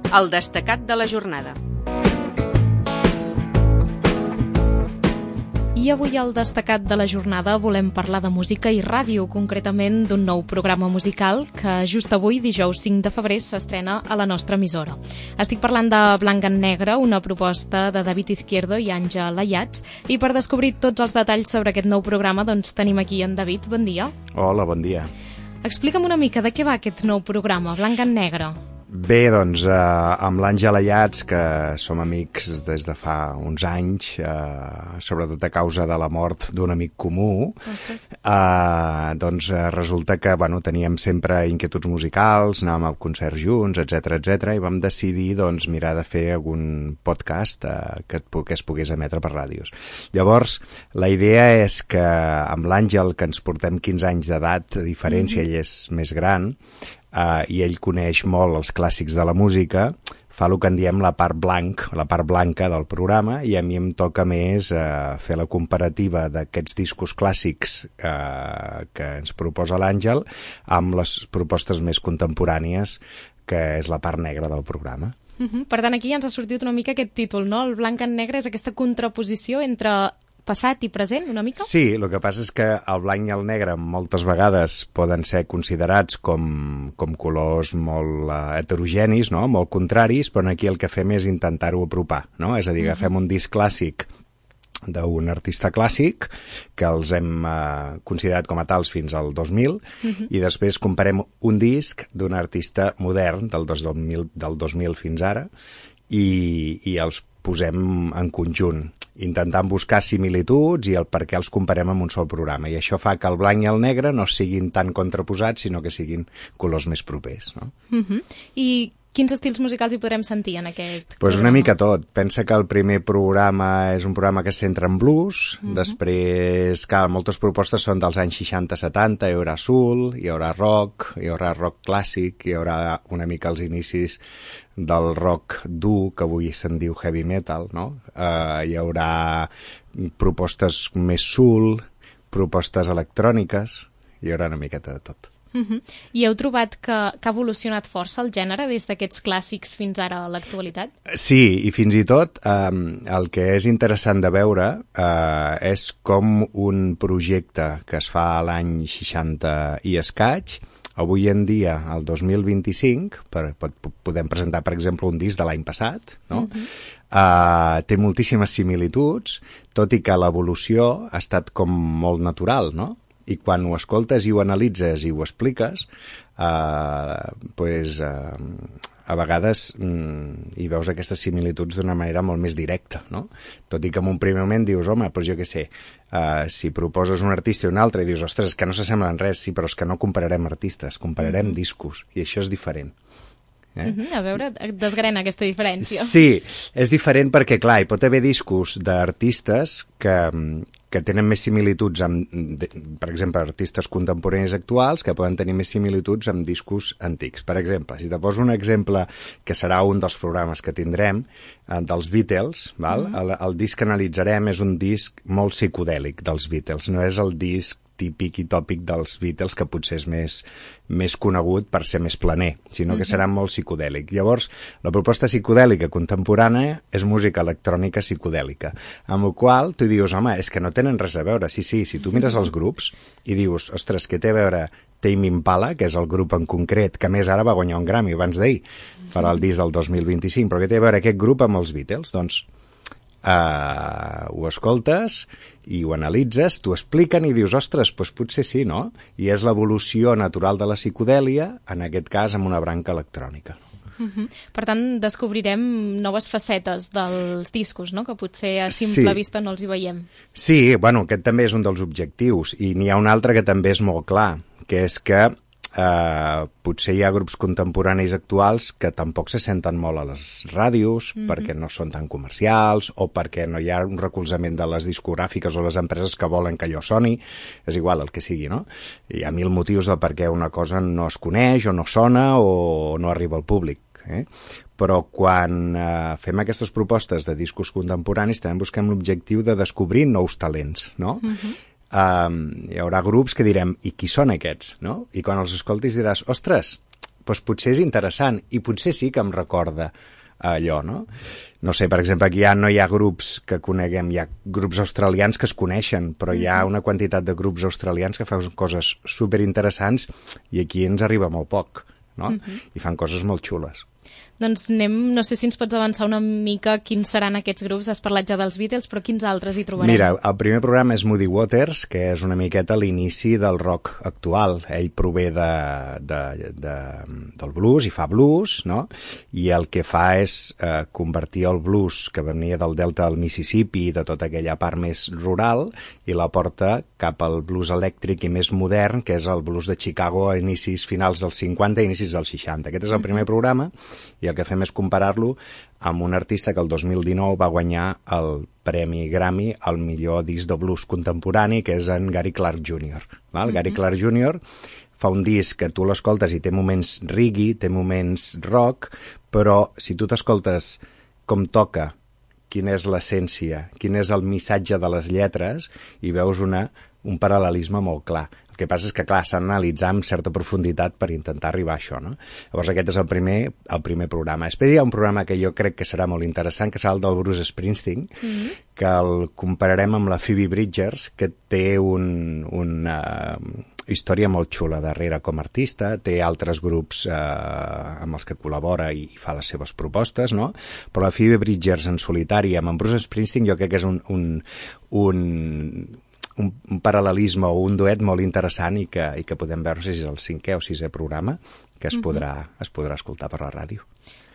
El destacat de la jornada. I avui al destacat de la jornada volem parlar de música i ràdio, concretament d'un nou programa musical que just avui, dijous 5 de febrer, s'estrena a la nostra emissora. Estic parlant de Blanc en Negre, una proposta de David Izquierdo i Àngel Ayats, i per descobrir tots els detalls sobre aquest nou programa doncs tenim aquí en David. Bon dia. Hola, bon dia. Explica'm una mica de què va aquest nou programa, Blanc en Negre. Bé, doncs, amb l'Àngel Ayats, que som amics des de fa uns anys, sobretot a causa de la mort d'un amic comú, doncs resulta que teníem sempre inquietuds musicals, anàvem a concerts junts, etc, i vam decidir doncs, mirar de fer algun podcast que es pogués emetre per ràdios. Llavors, la idea és que amb l'Àngel, que ens portem 15 anys d'edat de diferència, ell és més gran, i ell coneix molt els clàssics de la música, fa el que en diem la part blanca del programa, i a mi em toca més fer la comparativa d'aquests discos clàssics que ens proposa l'Àngel amb les propostes més contemporànies, que és la part negra del programa. Per tant, aquí ja ens ha sortit una mica aquest títol, no? El blanc en negre és aquesta contraposició entre passat i present, una mica? Sí, el que passa és que el blanc i el negre moltes vegades poden ser considerats com colors molt heterogenis, no? Molt contraris, però aquí el que fem és intentar-ho apropar, no? És a dir, agafem un disc clàssic d'un artista clàssic, que els hem considerat com a tals fins al 2000, i després comparem un disc d'un artista modern del 2000 fins ara, i els posem en conjunt, intentant buscar similituds i el per què els comparem amb un sol programa. I això fa que el blanc i el negre no siguin tan contraposats, sinó que siguin colors més propers, no? I quins estils musicals hi podrem sentir en aquest programa? Pues una mica tot. Pensa que el primer programa és un programa que es centra en blues, després, clar, moltes propostes són dels anys 60-70, hi haurà soul, hi haurà rock clàssic, hi haurà una mica els inicis del rock dur, que avui se'n diu heavy metal, no? Hi haurà propostes més soul, propostes electròniques, hi haurà una miqueta de tot. I heu trobat que ha evolucionat força el gènere des d'aquests clàssics fins ara a l'actualitat? Sí, i fins i tot el que és interessant de veure és com un projecte que es fa a l'any 60 i escaig, avui en dia, el 2025, podem presentar, per exemple, un disc de l'any passat, no? Té moltíssimes similituds, tot i que l'evolució ha estat com molt natural, no? I quan ho escoltes i ho analitzes i ho expliques, a vegades hi veus aquestes similituds d'una manera molt més directa, no? Tot i que en un primer moment dius, home, però jo què sé, si proposes un artista i un altre i dius, ostres, que no s'assemblen res, sí, però és que no compararem artistes, compararem discos, i això és diferent. A veure, desgrena aquesta diferència. Sí, és diferent perquè, clar, hi pot haver discos d'artistes que tenen més similituds amb, per exemple, artistes contemporanis actuals, que poden tenir més similituds amb discos antics. Per exemple, si te poso un exemple que serà un dels programes que tindrem, dels Beatles, val? El disc que analitzarem és un disc molt psicodèlic dels Beatles, no és el disc típic i tòpic dels Beatles, que potser és més conegut per ser més planer, sinó que serà molt psicodèlic. Llavors, la proposta psicodèlica contemporània és música electrònica psicodèlica, amb la qual tu dius, home, és que no tenen res a veure. Sí, si tu mires els grups i dius, ostres, què té a veure Tame Impala, que és el grup en concret, que més ara va guanyar un Grammy abans d'ahir, farà el disc del 2025, però què té a veure aquest grup amb els Beatles? Doncs ho escoltes i ho analitzes, t'ho expliquen i dius, ostres, doncs potser sí, no? I és l'evolució natural de la psicodèlia, en aquest cas amb una branca electrònica. Per tant, descobrirem noves facetes dels discos, no? Que potser a simple vista no els hi veiem. Sí, bueno, aquest també és un dels objectius, i n'hi ha un altre que també és molt clar, que és que potser hi ha grups contemporanis actuals que tampoc se senten molt a les ràdios perquè no són tan comercials o perquè no hi ha un recolzament de les discogràfiques o les empreses que volen que allò soni, és igual el que sigui, no? Hi ha mil motius de per què una cosa no es coneix o no sona o no arriba al públic, però quan fem aquestes propostes de discos contemporanis també busquem l'objectiu de descobrir nous talents, no? Hi haurà grups que direm, i qui són aquests? No? I quan els escoltis diràs, ostres, doncs potser és interessant i potser sí que em recorda allò, no? No sé, per exemple, aquí no hi ha grups que coneguem, hi ha grups australians que es coneixen, però hi ha una quantitat de grups australians que fan coses superinteressants i aquí ens arriba molt poc, no? I fan coses molt xules. Doncs no sé si ens pots avançar una mica quins seran aquests grups. Has parlat ja dels Beatles, però quins altres hi trobarem? Mira, el primer programa és Muddy Waters, que és una miqueta l'inici del rock actual. Ell prové del blues i fa blues, no? I el que fa és convertir el blues que venia del delta del Mississippi i de tota aquella part més rural i la porta cap al blues elèctric i més modern, que és el blues de Chicago a inicis finals dels 50 i inicis dels 60. Aquest és el primer programa i el que fem és comparar-lo amb un artista que el 2019 va guanyar el Premi Grammy al millor disc de blues contemporani, que és en Gary Clark Jr. Val? Gary Clark Jr. fa un disc que tu l'escoltes i té moments reggae, té moments rock, però si tu t'escoltes com toca, quina és l'essència, quin és el missatge de les lletres, i veus un paral·lelisme molt clar. El que passa és que, clar, s'ha d'analitzar amb certa profunditat per intentar arribar a això, no? Llavors aquest és el primer programa. Després hi ha un programa que jo crec que serà molt interessant, que serà el del Bruce Springsteen, que el compararem amb la Phoebe Bridgers, que té una història molt xula darrere com a artista, té altres grups amb els que col·labora i fa les seves propostes, no? Però la Phoebe Bridgers en solitari amb en Bruce Springsteen jo crec que és un paral·lelisme o un duet molt interessant i que podem veure si és el 5è o 6è programa que es podrà escoltar per la ràdio.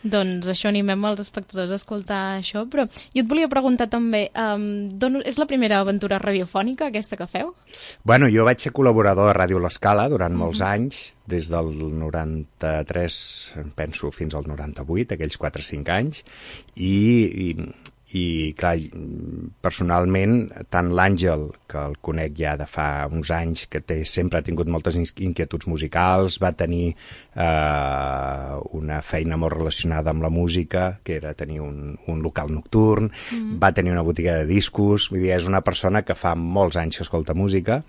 Doncs això, animem els espectadors a escoltar això, però jo et volia preguntar també, és la primera aventura radiofònica aquesta que feu? Bueno, jo vaig ser col·laborador de Ràdio L'Escala durant molts anys, des del 93, penso, fins al 98, aquells 4 o 5 anys, i clar, personalment tant l'Àngel, que el conec ja de fa uns anys, que sempre ha tingut moltes inquietuds musicals, va tenir una feina molt relacionada amb la música, que era tenir un local nocturn, va tenir una botiga de discos, vull dir, és una persona que fa molts anys que escolta música,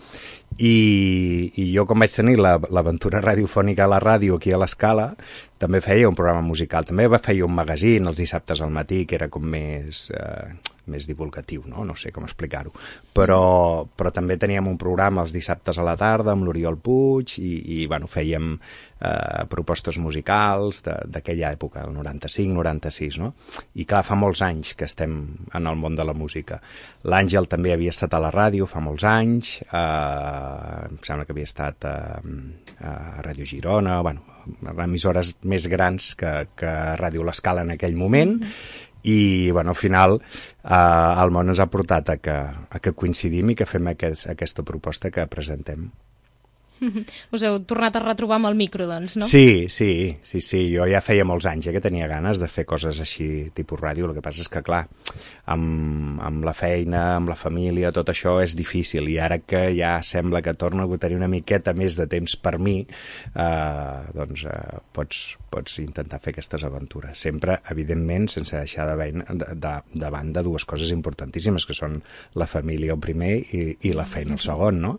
i jo, com vaig tenir l'aventura radiofònica a la ràdio aquí a l'Escala, també feia un programa musical, també feia un magazín els dissabtes al matí, que era com més divulgatiu, no sé com explicar-ho, però també teníem un programa els dissabtes a la tarda amb l'Oriol Puig i bueno, fèiem propostes musicals d'aquella època, el 95-96, no? I clar, fa molts anys que estem en el món de la música. L'Àngel també havia estat a la ràdio fa molts anys, em sembla que havia estat a Ràdio Girona, bueno, emissores més grans que Ràdio L'Escala en aquell moment, i bueno, al final el món ens ha portat a que coincidim i que fem aquesta proposta que presentem. Us heu tornat a retrobar amb el micro, doncs, no? Sí, jo ja feia molts anys que tenia ganes de fer coses així, tipus ràdio. El que passa és que, clar, amb la feina, amb la família, tot això és difícil, i ara que ja sembla que torno a tenir una miqueta més de temps per mi, doncs pots intentar fer aquestes aventures. Sempre, evidentment, sense deixar de banda dues coses importantíssimes, que són la família el primer i la feina el segon, no?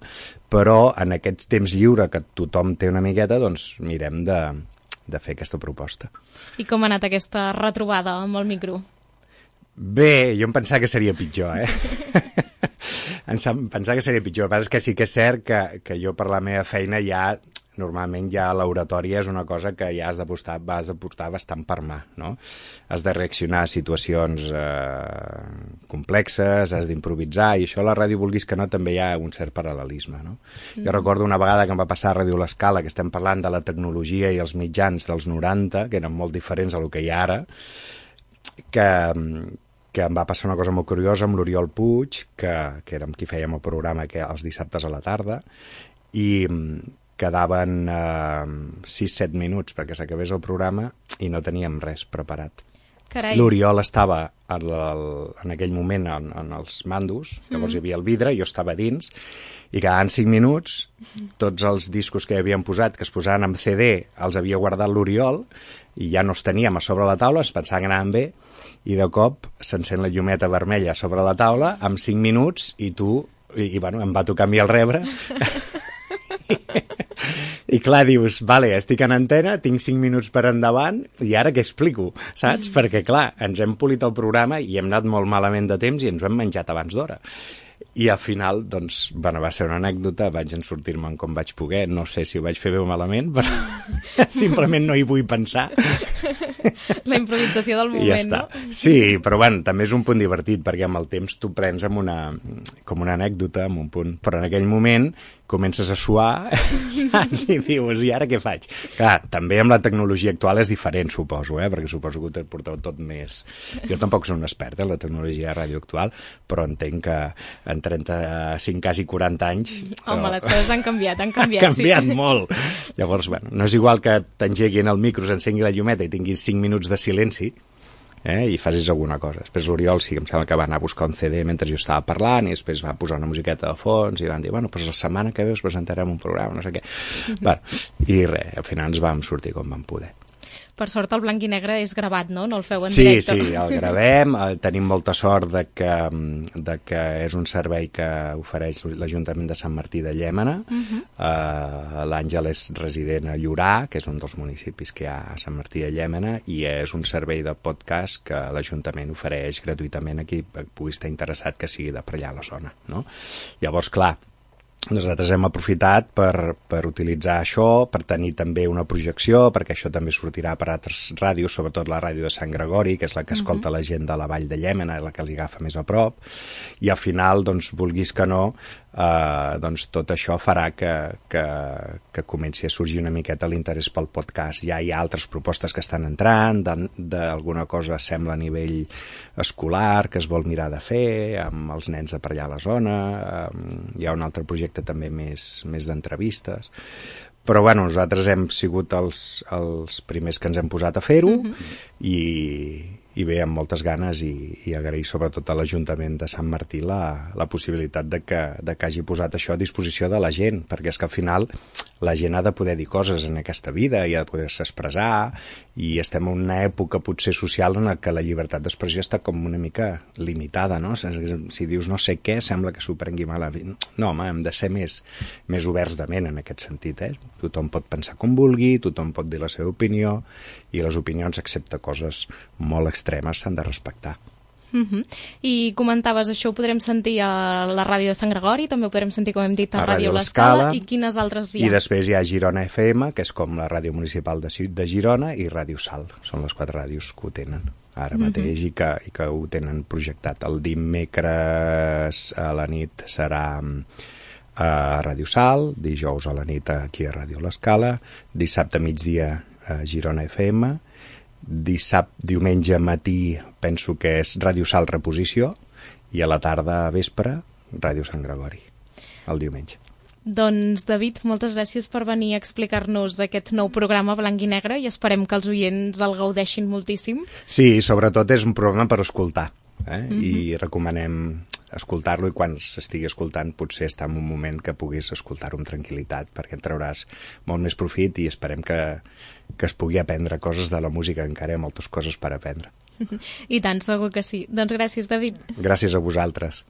Però en aquests temps lliure que tothom té una miqueta, doncs mirem de fer aquesta proposta. I com ha anat aquesta retrobada amb el micro? Bé, jo em pensava que seria pitjor, Em pensava que seria pitjor. El que passa és que sí que és cert que jo per la meva feina normalment ja l'oratòria és una cosa que ja has de portar bastant per mà, no? Has de reaccionar a situacions complexes, has d'improvisar, i això a la ràdio, vulguis que no, també hi ha un cert paral·lelisme, no? Jo recordo una vegada que em va passar a Ràdio L'Escala, que estem parlant de la tecnologia i els mitjans dels 90, que eren molt diferents a lo que hi ha ara, que em va passar una cosa molt curiosa amb l'Oriol Puig, que era amb qui fèiem el programa els dissabtes a la tarda, i quedaven 6-7 minuts perquè s'acabés el programa i no teníem res preparat. Carai. L'Oriol estava en aquell moment en els mandos, llavors hi havia el vidre, jo estava dins, i quedaven 5 minuts, tots els discos que havíem posat, que es posaven en CD, els havia guardat l'Oriol, i ja no els teníem a sobre la taula, ens pensàvem que anaven bé, i de cop s'encén la llumeta vermella sobre la taula, amb 5 minuts, i bueno, em va tocar a mi el rebre, I clar, dius, vale, estic en antena, tinc 5 minuts per endavant, i ara què explico, saps? Perquè clar, ens hem polit el programa i hem anat molt malament de temps i ens ho hem menjat abans d'hora. I al final, doncs, bueno, va ser una anècdota, vaig en sortir-me'n com vaig poder, no sé si ho vaig fer bé o malament, però simplement no hi vull pensar. La improvisació del moment, ja està. No? Sí, però bueno, també és un punt divertit, perquè amb el temps tu prens com una anècdota, amb un punt, però en aquell moment comences a suar, saps? I dius, i ara què faig? Clar, també amb la tecnologia actual és diferent, suposo, perquè suposo que ho porteu tot més... Jo tampoc soc un expert en la tecnologia de ràdio actual, però entenc que en 35, quasi 40 anys... Home, les coses han canviat, Han canviat molt. Llavors, bueno, no és igual que t'engeguin el micro, s'encengui la llumeta i tinguis 5 minuts de silenci, i facis alguna cosa. Després l'Oriol sí que em sembla que va anar a buscar un CD mentre jo estava parlant i després va posar una musiqueta de fons i van dir, bueno, doncs la setmana que ve us presentarem un programa, no sé què. Bueno, i res, al final ens vam sortir com vam poder. Per sort el blanc i negre és gravat, no? No el feu en sí, directe. Sí, el gravem. Tenim molta sort de que és un servei que ofereix l'Ajuntament de Sant Martí de Llémena. L'Àngel és resident a Llorà, que és un dels municipis que hi ha a Sant Martí de Llémena, i és un servei de podcast que l'Ajuntament ofereix gratuïtament a qui pugui estar interessat que sigui de per allà a la zona, no? Llavors, clar, nosaltres hem aprofitat per utilitzar això, per tenir també una projecció, perquè això també sortirà per altres ràdios, sobretot la ràdio de Sant Gregori, que és la que escolta la gent de la Vall de Llémena, la que els agafa més a prop, i al final, doncs, vulguis que no, doncs tot això farà que comenci a sorgir una miqueta l'interès pel podcast. Ja hi ha altres propostes que estan entrant, d'alguna cosa sembla a nivell escolar que es vol mirar de fer amb els nens de per allà a la zona, hi ha un altre projecte també més d'entrevistes, però bueno, nosaltres hem sigut els primers que ens hem posat a fer-ho i bé, amb moltes ganes i agrair sobretot a l'Ajuntament de Sant Martí la possibilitat de que hagi posat això a disposició de la gent, perquè és que al final la gent ha de poder dir coses en aquesta vida i ha de poder-se expressar, i estem en una època potser social en què la llibertat d'expressió està com una mica limitada, no? Si dius no sé què, sembla que s'ho prengui mal. No, home, hem de ser més oberts de ment en aquest sentit, Tothom pot pensar com vulgui, tothom pot dir la seva opinió, i les opinions, excepte coses molt extremes, s'han de respectar. I comentaves, això ho podrem sentir a la ràdio de Sant Gregori, també ho podrem sentir, com hem dit, a Ràdio L'Escala, i quines altres hi ha? I després hi ha Girona FM, que és com la ràdio municipal de Girona, i Ràdio Sal. Són les 4 ràdios que ho tenen ara mateix i que ho tenen projectat. El dimecres a la nit serà a Ràdio Sal, dijous a la nit aquí a Ràdio L'Escala, dissabte a migdia a Girona FM, diumenge matí penso que és Ràdio Sal Reposició, i a la tarda a vespre Ràdio Sant Gregori, el diumenge. Doncs, David, moltes gràcies per venir a explicar-nos aquest nou programa Blanc i Negre, i esperem que els oients el gaudeixin moltíssim. Sí, sobretot és un programa per escoltar, i recomanem escoltar-lo, i quan s'estigui escoltant potser està en un moment que puguis escoltar-ho amb tranquil·litat, perquè en trauràs molt més profit, i esperem que es pugui aprendre coses de la música, encara hi ha moltes coses per aprendre. I tant, segur que sí. Doncs gràcies, David. Gràcies a vosaltres.